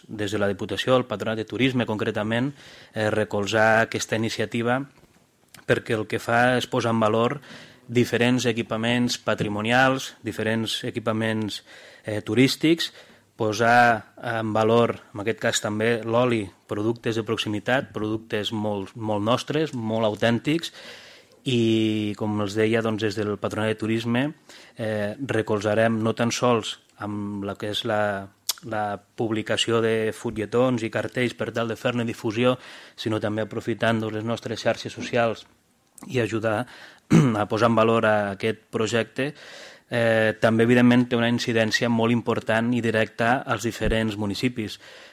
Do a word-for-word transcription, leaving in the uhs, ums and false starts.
des de la Diputació, el Patronat de Turisme concretament, eh, recolzar aquesta iniciativa perquè el que fa és posar en valor diferents equipaments patrimonials, diferents equipaments eh, turístics, posar en valor, en aquest cas també, l'oli, productes de proximitat, productes molt, molt nostres, molt autèntics, i, com els deia, doncs, des del Patronat de Turisme eh, recolzarem no tan sols amb la que és la, la publicació de fulletons i cartells per tal de fer-ne difusió, sinó també aprofitant doncs, les nostres xarxes socials i ajudar a posar en valor a aquest projecte. Eh, també, evidentment, té una incidència molt important i directa als diferents municipis.